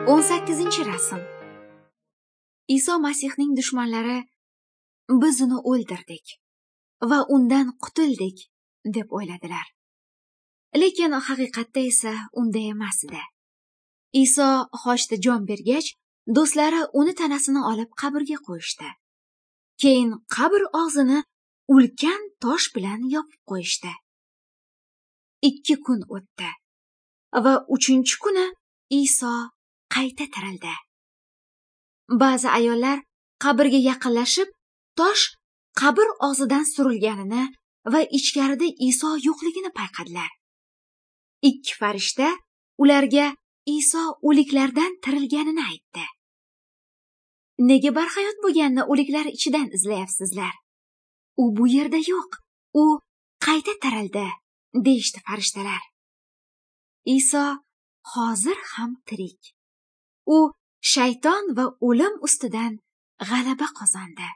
18-rasm. Iso Masihning dushmanlari biz uni o'ldirdik va undan qutuldik deb o'yladilar. Lekin haqiqatda esa unday emas edi. Iso xochda jon bergach, do'stlari uni tanasini olib qabrga qo'yishdi. Keyin qabr og'zini ulkan tosh bilan yopib qo'yishdi. 2 kun o'tdi va 3-kuni Iso qayta tirildi. Ba'zi ayollar qabrga yaqinlashib, tosh qabr og'zidan surilganini va ichkarida Iso yo'qligini payqadilar. 2 farishta ularga Iso o'liklardan tirilganini aytdi. Nega barhayot bo'lganni o'liklar ichidan izlayapsizlar? U bu yerda yo'q. U qayta tirildi, deyishdi farishtalar. Iso hozir ham tirik. U shayton va o'lim ustidan g'alaba qozondi.